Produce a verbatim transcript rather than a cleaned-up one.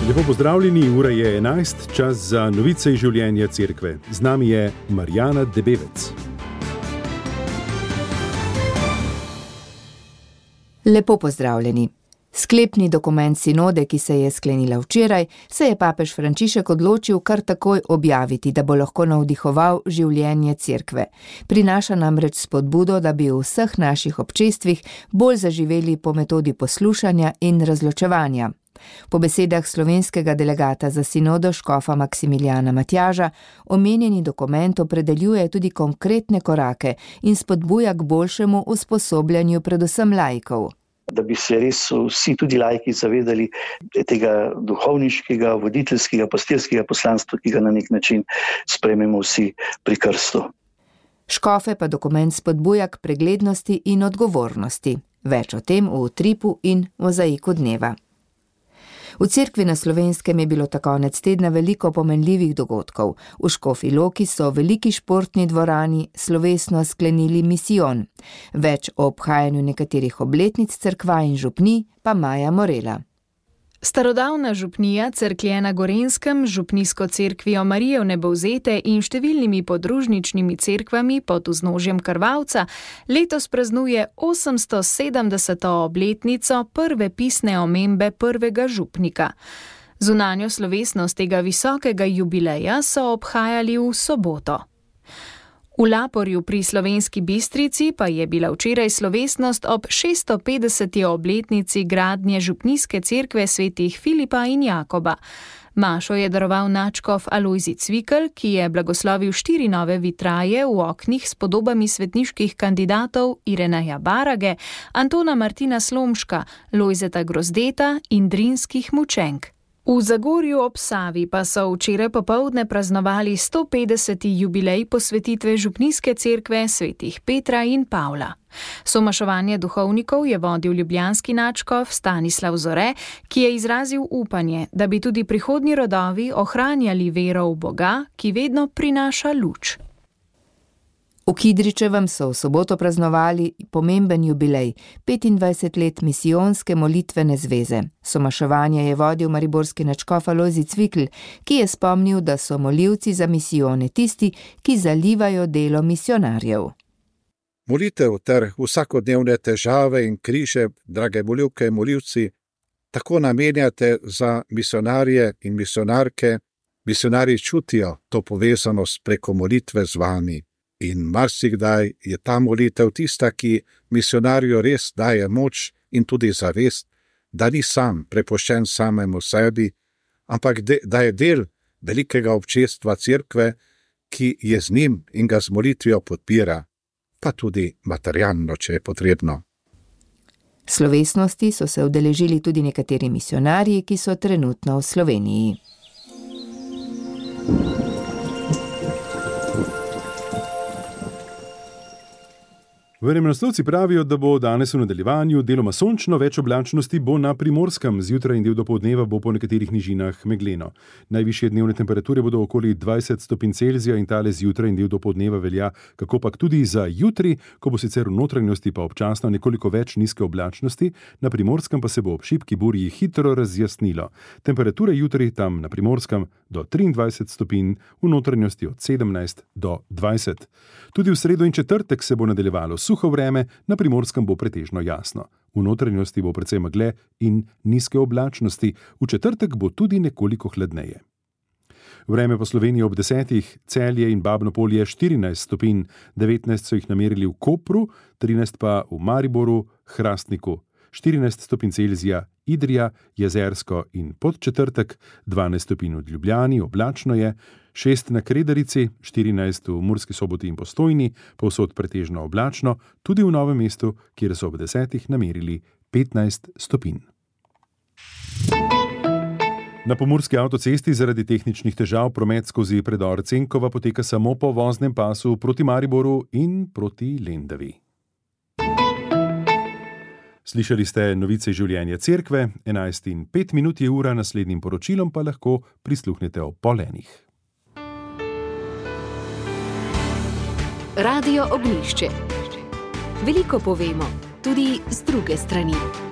Lepo pozdravljeni, ura je enajst, čas za novice iz življenja cerkve. Z nami je Marjana Debevec. Lepo pozdravljeni. Sklepni dokument sinode, ki se je sklenila včeraj, se je papež Frančišek odločil kar takoj objaviti, da bo lahko navdihoval življenje cerkve. Prinaša namreč spodbudo, da bi v vseh naših občestvih bolj zaživeli po metodi poslušanja in razločevanja. Po besedah slovenskega delegata za sinodo škofa Maksimiljana Matjaža, omenjeni dokument opredeljuje tudi konkretne korake in spodbuja k boljšemu usposobljanju predvsem laikov. Da bi se res vsi tudi laiki zavedali tega duhovniškega, voditeljskega, pastirskega poslanstva, ki ga na nek način sprejmemo vsi pri krstu. Škofe pa dokument spodbuja k preglednosti in odgovornosti. Več o tem v utripu in mozaiku dneva. V cerkvi na Slovenskem je bilo ta konec tedna veliko pomenljivih dogodkov. V Škofji Loki so v veliki športni dvorani slovesno sklenili misijon. Več o obhajanju nekaterih obletnic cerkva in župnij pa Maja Morela. Starodavna župnija Cerklje na Gorenjskem, župnijsko cerkvijo Marije Vnebovzete in številnimi podružničnimi cerkvami pod vznožjem Krvavca letos praznuje osemsto sedemdeseto obletnico prve pisne omembe prvega župnika. Zunanjo slovesnost tega visokega jubileja so obhajali v soboto. V Laporju pri Slovenski Bistrici pa je bila včeraj slovesnost ob šeststopetdeseti obletnici gradnje župnijske cerkve svetih Filipa in Jakoba. Mašo je daroval nadškof Alojzij Cvikl, ki je blagoslovil štiri nove vitraje v oknih s podobami svetniških kandidatov Ireneja Barage, Antona Martina Slomška, Lojzeta Grozdeta in drinskih mučenk. V Zagorju ob Savi pa so včeraj popoldne praznovali stopetdeseti jubilej posvetitve župnijske cerkve svetih Petra in Pavla. Somašovanje duhovnikov je vodil ljubljanski nadškof Stanislav Zore, ki je izrazil upanje, da bi tudi prihodnji rodovi ohranjali vero v Boga, ki vedno prinaša luč. V Kidričevem so v soboto praznovali pomemben jubilej, petindvajset let misijonske molitvene zveze. Somaševanje je vodil mariborski nadškof Alojzij Cvikl, ki je spomnil, da so molivci za misijone tisti, ki zalivajo delo misionarjev. Molitev ter vsakodnevne težave in križe, drage molivke in molivci, tako namenjate za misionarje in misionarke. Misionarji čutijo to povezanost preko molitve z vami. In marsikdaj je ta molitev tista, ki misionarju res daje moč in tudi zavest, da ni sam prepuščen samemu sebi, ampak de, da je del velikega občestva cerkve, ki je z njim in ga z molitvijo podpira, pa tudi materialno, če je potrebno. Slovesnosti so se udeležili tudi nekateri misionarji, ki so trenutno v Sloveniji. Vremenoslovci pravijo, da bo danes v nadaljevanju deloma sončno, več oblačnosti bo na Primorskem, zjutraj in del dopoldneva bo po nekaterih nižinah megleno. Najvišje dnevne temperature bodo okoli dvajset stopinj Celzija in tale zjutraj in del dopoldneva velja, kakopak tudi za jutri, ko bo sicer v notranjosti pa občasno nekoliko več nizke oblačnosti, na Primorskem pa se bo ob šibki burji hitro razjasnilo. Temperature jutri tam na Primorskem do triindvajset stopinj, v notranjosti od sedemnajst do dvajset. Tudi v sredo in četrtek se bo nadaljevalo suho vreme, na Primorskem bo pretežno jasno. V notranjosti bo precej megle in nizke oblačnosti, v četrtek bo tudi nekoliko hladneje. Vreme po Sloveniji ob desetih, Celje in Babno Polje štirinajst stopinj, devetnajst so jih namerili v Kopru, trinajst pa v Mariboru, Hrastniku, štirinajst stopinj Celzija, Idrija, Jezersko in Podčetrtek, dvanajst stopinj v Ljubljani, oblačno je, šest na Kredarici, štirinajst v Murski Soboti in Postojni, povsod pretežno oblačno, tudi v Novem mestu, kjer so ob desetih namerili petnajst stopinj. Na pomurski avtocesti zaradi tehničnih težav promet skozi predor Cenkova poteka samo po voznem pasu proti Mariboru in proti Lendavi. Slišali ste novice življenja cerkve, enajst in pet minut je ura, naslednjim poročilom pa lahko prisluhnete ob pol enih. Radio Ognjišče. Veliko povemo, tudi z druge strani.